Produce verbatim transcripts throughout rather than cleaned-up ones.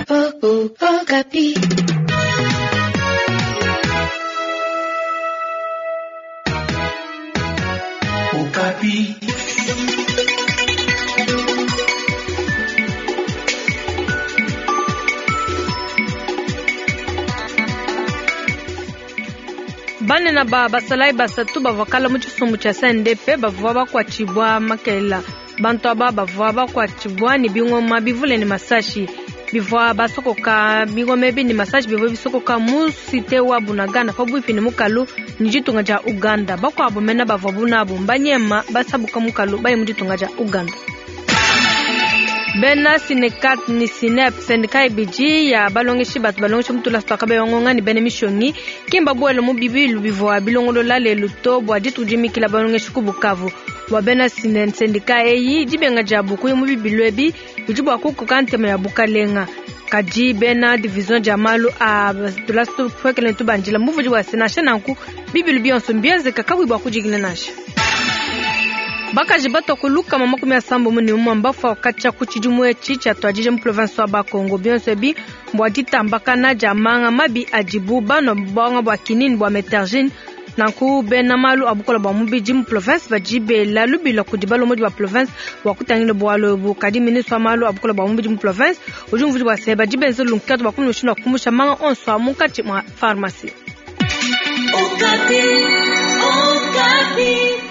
Okapi. Okapi. Banene ba basalayi basatu bavua kala mu tshisumbu tshia C N D P bavua bakuatshibua makelela. Bantu aba bavua bakuatshibua ne bingoma bivule ne masashi bivua basokoka. Bingoma ebi ne masashi bivua bisokoka mu cité wa Bunagana, pabuipi ne mukalu ne ditunga dia Uganda. Bakuabu mena bavuabu nabu mbanyema basabuka mukalu baye mu ditunga dia Uganda. Bena Synecat ni Synep, syndicat ibidi ya balongeshi batu balongesha mu tulasa tua Kabeya Ngonga ne bena mishonyi, kimba buela mu bibilu bivua bilongolola lelu to bua dituku dimikila balongeshi ku Bukavu. Bua bena syndicat eyi, dibenga diabu kuya mu bibilu ebi bidi bua kukoka ntema ya bukalenga. Kadi bena division dia malu a tulasa tupuekele tubandila muvudi wa se nansha nanku bibilu bionso mbienzeka kabuyi bua kudikina nansha. Bakaji batua ku lukama makumi asambombo ne umue mbafua katshia ku tshidimu etshi tshiatuadija mu province wa Bakongo. Bionso ebi mbua ditambakana dia manga mabi adibu banua, buanga bua kinini bua Methergine. Nanku bena malu a bukola bua mubidi mu province badi bela lubila kudi balombodi ba province bua kutangila bualu ebu. Kadi ministre wa malu a bukola bua mubidi mu province udi umvuija bua se badi benza lunkatu bua kumona mushindu wa kumusha manga onso a munkatshi mua pharmacie. Okapi. Okapi.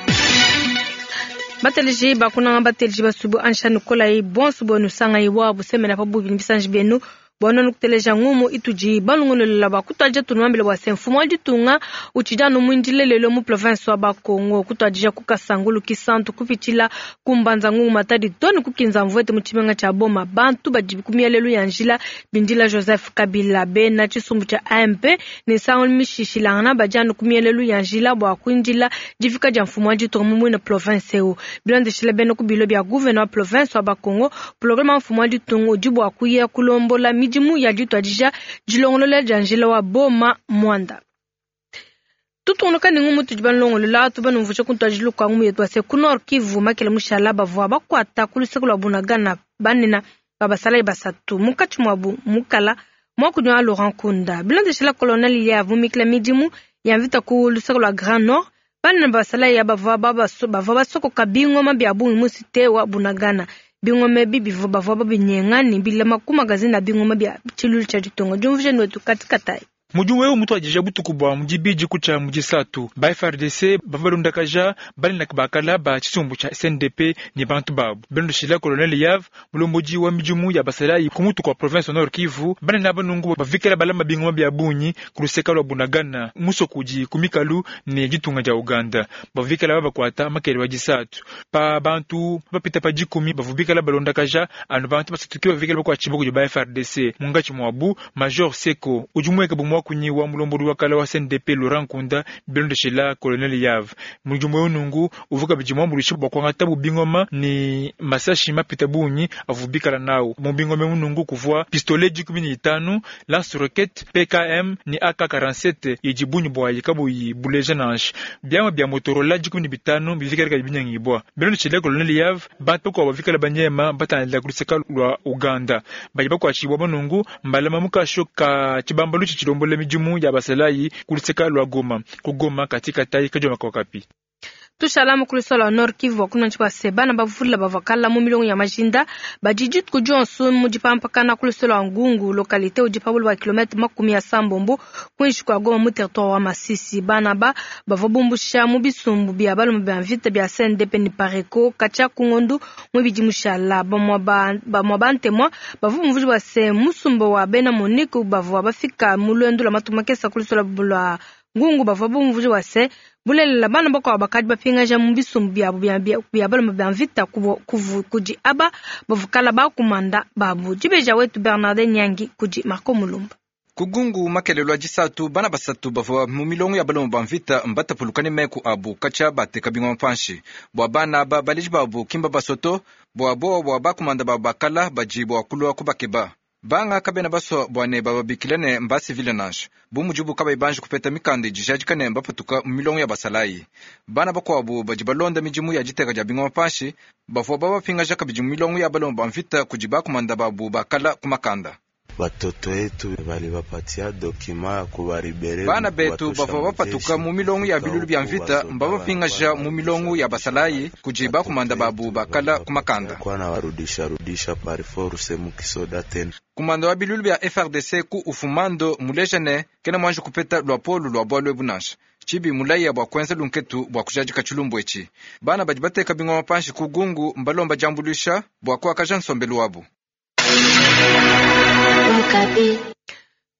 Bateleji bakunanga, bateleji basubu ansha nikolayi bonso bwenu sangayi wabu semena pabuipi ne bisanji bienu bwana nukuteleja ngumu itudi balongololela bakutwadija. Tunuambile bua se mfumu wa ditunga utshidi anu muindile lelo mu province wa Bakongo, kutwadija ku Kasangulu Kisantu, kupitshila ku Mbanza Ngungu Matadi to ne kukinza Mvuete mu tshimenga tshia Boma. Bantu badi ku mielelu ya njila bindila Joseph Kabila. Bena tshisumbu tshia A M P ne nsangu mishishilangana badi anu ku mielelu ya njila bua kuindila difika dia mfumu wa ditunga mu muine province eu. Bilondeshile bena ku bilo bia gouverneur wa province wa Bakongo, programme wa mfumu wa ditunga udi bua kuya kulombola midimu ya dituadija dilongolola dia njila wa Boma Mwanda. Tutungunuka ne ngumu tudi balongolola. Tubanumvusha kuntuadijilu kua ngumu yetu ase ku Nord Kivu, makele mushala bavua bakuata ku luseke lua Bunagana banena ba basalayi basatu, munkatshi muabu mukala muakunyi wa Laurent Nkunda. Bilondeshela colonel yavumikila midimu ya mvita ku luseke lua Grand Nord, banene ba basalayi ya bavua bavua basokoka bingoma bia bungi mu cité wa Bunagana. Bingoma ebi bivua bavua babinyenga ne bilama ku magazine a bingoma bia tshilulu tshia ditunga. Diumvuija wetu katikatayi. Mudimu eu mutuadija butuku bua mudibidi kutshia mudisatu, ba F A R D C bavua balondakaja banene bakala ba tshisumbu tshia C N D P ne bantu babu. Bilondeshila colonel Yav, mulombodi wa midimu ya basalayi ku mutu kua province Nord Kivu, banene banungu bavikala balama bingoma bia bungi ku luseka lua Bunagana, musoko udi ku mikalu ne ditunga dia Uganda. Bavikala babakuata makele wa disatu. Pa bantu bapita pa dikumi bavubikala balondakaja, anu bantu basatu ke bavikala bakuatshibua kudi ba F A R D C, munkatshi muabu Major Seko udi mueka bu muakunyi wa mulombodi wa kala wa C N D P Laurent Nkunda. Bilondeshela colonel Yav, mudimu eu nungu uvua kabidi muambuluishe bua kuangata bu bingoma ne masashi mapita bungi avua bikala nawu. Mu bingoma munungu kuvua pistolet dikumi ne itanu, lance roquette P K M ne A K quarante-sept idi bungi buayi kabuyi buleja nansha, biamua bia Motorola dikumi ne bitanu bivikala kadi binyangibua. Bilondeshela colonel Yav, bantu bakuabu bavikala banyema batangila ku luseka lua Uganda. Badi bakuatshibua banungu mbalama mukasho ka tshibambalu tshitshilombola midimu ya basalayi ku luseka lua Goma. Ku Goma, katika tai kajoma kwa Kapi. Tushala ku luseke lua Nord Kivu, wakunanji bua se bana bavula bavua kala mu milongo ya majinda badi dituku dionso mu dipampakana ku luseke lua Ngungu, localité udi pabulu bua kilomètre makumi asambombo kuinshi kua Goma mu territoire wa Masisi. Bana ba bavua bumbusha mu bisumbu bia balume bia mvita bia C N D P ne Pareco katshia ku ngondu muibidi mushala. Bamua bantemwa bavua bumvuija bua se musumba wa bena MONUC bavua bafika mu luendu lua matuku makesa ku luseke lua Ngungu bavua bumvuija bua se bulelela bana bakuabu bakadi bapingaja mu bisumbu biabu bia balume bia mvita kudi aba bavukala bakumanda babu. Dibeja wetu Bernardin Nyangi kudi Marco Mulumba. Kugungu makelelo a disatu, bana basatu bavua mu milongo ya balume ba mvita mbatapuluka ne meku abu katshia bateka bingoma panshi. Bua bana aba, baleji babu kimba basoto bua bowa bua bakumanda babu bakala badi bua kulua kubakeba. Banga kabena basua bua ne bababikila ne mbasivile nansha, bu mudibu kabayi banji kupeta mikanda idi ijadika ne mbapatuka mu milongo ya basalayi. Bana bakuabu badi balonda midimu ya diteka dia bingoma panshi bavua babapingaja kabidi mu milongo ya balume ba mvita kudi bakumanda babu bakala ku makanda. Batoto yetu balibapatia dokima ya kubaribere. Bana betu bavua bapatuka mu milongo ya bilulu bya mvita mbabapingaja mu milongo ya basalayi kudi bakumanda babu bakala kumakanda. Kwana warudisha rudisha par force mukisoda tena. Kumanda wa bilulu bya F R D C ku ufumando mulejane kena mwanje kupeta lwa polu lwa bwalwe bunasha. Chibi mulaya bwa kwenza lunketu bwa kujajika chilumbu echi. Bana badi bateka bingoma panshi kugungu mbalomba jambulisha bwa kuakaja nsombelu wabu.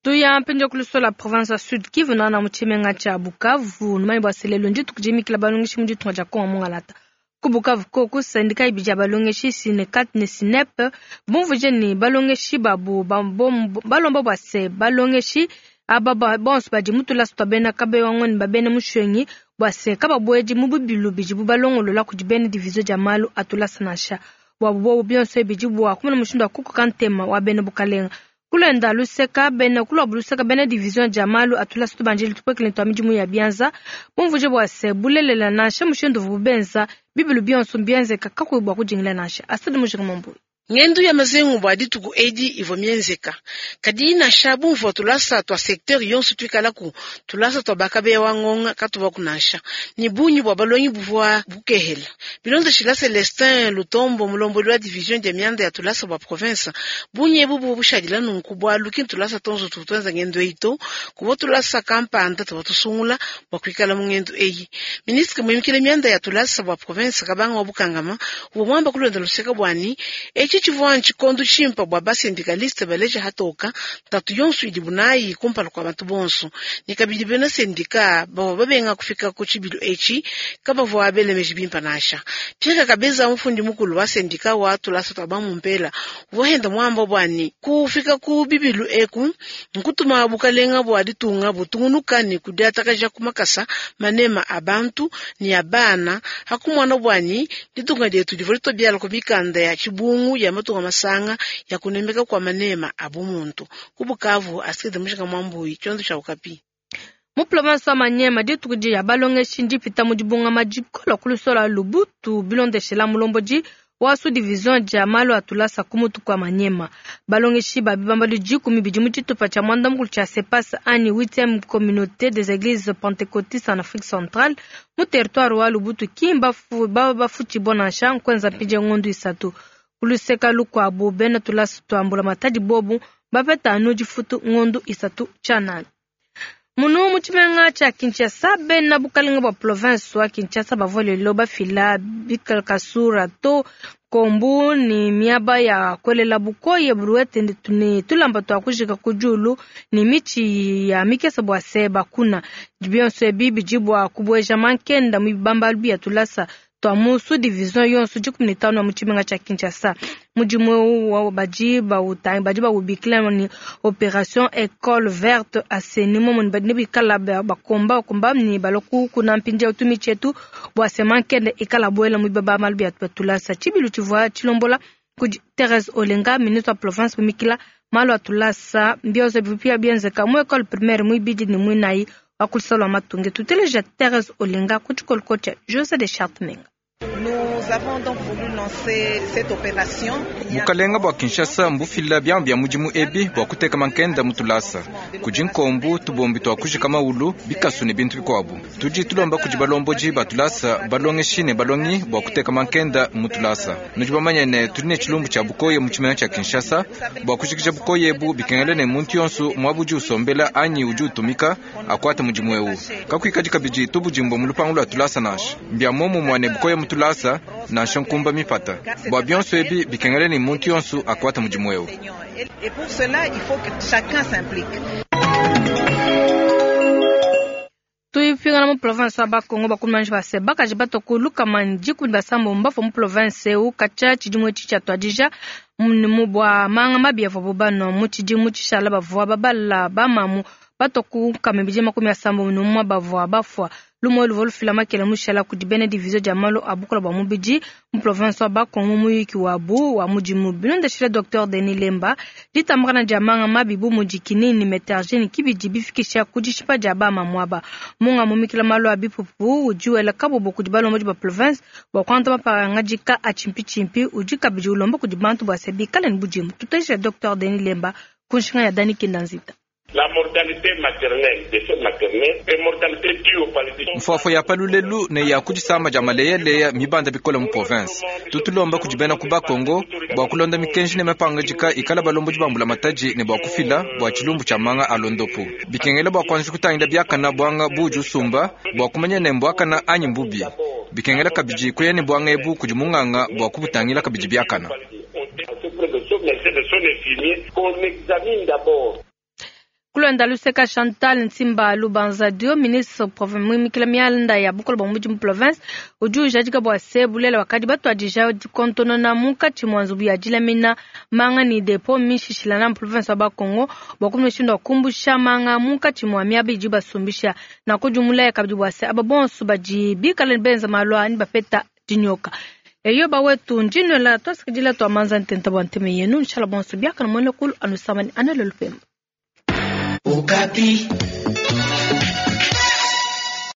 Tuya mpenja kulusola province ya Sud Kivu na na muchimenga cha Bukavu numani bwa selelo njitu kujimikila balongeshi mu ditunga dia Kongo mungalata. Ku Bukavu koko sendika ibija balongeshi Sinekat ne Sinep bumvuje ni balongeshi babu balomba bwa se balongeshi aba bonso badi mutula sutwa bena kabe wangoni babene mushwengi bwa se kababweji mu bubilu biji bubalongolola kudi bene division dia malu atula sanasha. Wabu bionso ebiji bwa kumuna mushindu akuko kantema wa bene bukalenga. Kulenda luseka bene kulwa luseka bene division dia malu atula sutu banjili tupwekele ntwa midimu ya bianza bumvuje bwa se bulelela nansha mushindu vubenza bibilu bionso bienzeka kakwe bwa kujingila nansha asidi mujinga mambu. Ngendu ya mazengu bwa dituku edi ivo mienzeka. Kadi nasha bumvua tulasa twa secteur yonso tuikalaku tulasa twa bakabe wa ngonga katuba kunasha. Ni bunyi bwa balongi buvua bukehela. Bilonda shila Celestin Lutombo mulomboli wa division de mianda ya tulasa bwa province. Bunyi ebu bu bushadila nunku bwa lukin tulasa tonso tutwenza ngendu eito. Kubo tulasa kampanda tuba tusungula bwa kuikala mu ngendu eyi. Ministre muimikile mianda ya tulasa bwa province kabanga wa bukangama ubomwamba kulonda luseka bwani echi chivua nchikondu chimpa bwa basendikaliste baleja hatoka tatu yonso idi bunayi kumpala kwa bantu bonso nikabidi bena sendika bavua babenga kufika ku tshibilu etshi kabavua belemeji bimpa nasha Pierre Kabeza mufundi mukulu wa sendika wa tulasa twa bamumpela uvua henda mwamba bwani kufika ku bibilu eku nkutuma bukalenga bwa ditunga butungunuka ni kudiatakaja kumakasa manema abantu ni abana hakumwana bwani ditunga dietu divua litobiala ku mikanda ya chibungu ya matunga masanga ya kunemeka kwa manema abumuntu kubukavu asikide mushika mwambuyi chondo cha ukapi. Mu province wa Manyema dituku dia balongeshi ndipita mu dibunga majikola kulusola Lubutu bilondeshela mulomboji wa su division dia malu atulasa kumutu kwa Manyema. Balongeshi babi bambali dikumi bidi mu tshitupa tshia mwanda mukulu tshia CEPAS ani huitième communauté des églises pentecôtistes en Afrique centrale mu territoire wa Lubutu kimba baba bafuti bonansha nkwenza mpinje ngondu isatu. Kuluseka lukwabu bena tulasa twambula matadi bobu bapeta anu difutu ngondu isatu tshanana. Munu muchimenga cha Kinshasa bena bukalenga bwa province wa Kinshasa bavua lelo bafila bikalakasura to kombu ni miaba ya kwelela bukoye buruete ni tulamba twa kujika kujulu ni michi ya mikesa bwa seba kuna bionso ebi bijibwa kubweja mankenda mu bibamba bia tulasa twa musu division yonso dikumi ne tano ya muchimenga cha Kinshasa. Mudimu wa baji ba utangi baji ba ubikila ni opération école verte assainissement mon badi bikala ba komba komba ni baloku kuna mpinja utumi chetu bwa semankende ikala bwela mu baba malu bia tulasa chibilu chivwa chilombola ku Thérèse Olenga ministre wa province mikila malu atulasa mbiozo bipia bienzeka mu école primaire mu bidi ni mwinai wa kulisalwa matunge tuteleja Thérèse Olenga ku chikoloko cha José de Chartmenga. Nous avons donc voulu lancer cette opération. Bukalenga bwa Kinshasa mbufila byambu bya mudimu ebi bwa kuteka mankenda mutulasa kudi nkombu tubombi twa kujika maulu bikasu ne bintu bikwabu tudi tulomba kudi balomboji batulasa balongeshi ne balongi bwa kuteka mankenda mutulasa nudi bamanye ne tudi ne tshilumbu tshia bukoye mu tshimenga tshia Kinshasa bwa kujikija bukoye ebu bikengela ne muntu yonso mwabudi usombela anyi udi utumika akwata mudimu ewu kakuikadi kabidi tubudimbo mu lupangu lwa tulasa nansha mbya momu mwane bukoye mutulasa nansha nkumba mipata bwa bionso ebi bikengela ne muntu yonso akwata mudimu ewu. Et pour cela, il faut que chacun s'implique. Tuipingana mu province wa Bakongo bakumanje base bakaji batokulu kamanji kudi basambo mbafo mu province eu kacha tshidimu etshi tshia tuadija mu bwa manga mabi avua bano mu tshidimu tshishala bavua babala bamamu batoku kamibidi makumi asambo numwa bavua bafua lumo luvo lufila makele mushala kudi bene division dia malu abukola bwa mubidi mu province wa Bakongo muyiki wabu wa mudimu bilondeshile Docteur Denis Lemba ditambakana dia manga mabi bu mudi kinini metergene kibidi bifikisha ku dishipa dia bamamu aba munga mumikila malu a bipupu udi wela kabobo kudi balombodi ba province bua kuanta mapangadika a tshimpitshimpi udi kabidi ulomba kudi bantu bua se bikale ne budimu. Tuteshe Docteur Denis Lemba Ku nshinga ya Dani Kinda Nzita. La mortalité maternelle, décès maternel, et mortalité due au paludisme. Mfuafua ya palulelu ne ya kudisamba dia maleyaleya mibanda bikola mu province. Tutulomba kudi bena ku Bakongo bua kulonda mikenji ne mapangajika ikala balombodi bambula mataji ne bua kufila bua tshilumbu tshia manga a londopu. Bikengela bua kuanza kutangila biakana bwanga buji usumba bua kumanya ne mbwakana anyi mbubi. Bikengela kabidi kuya ne bwanga ebu kudi munganga bua kubutangila kabidi biakana. De son infirmier qu'on examine d'abord. Kulonda luseka Chantal Nsimba Lubanza Dio, ministre muimikila mianda ya bukolo bwa mudimu province, udi ujadika bua se bulela wakadi batuadija dikontonona munkatshi mua nzubu ya dilamina manga ne depo mishishilana mu province wa Bakongo bua kumwishindu wa kumbusha manga munkatshi mua miaba idi basumbisha na kujumulaya kabidi bua se aba bonso badi bikala benza malu ani bapeta dinyoka. Eyo bawetu ndinwela twasikidila twa manza ntenta bua nteme yenu nshala bonso biakana mwene kulu anusamani anelo lupemba. Okapi.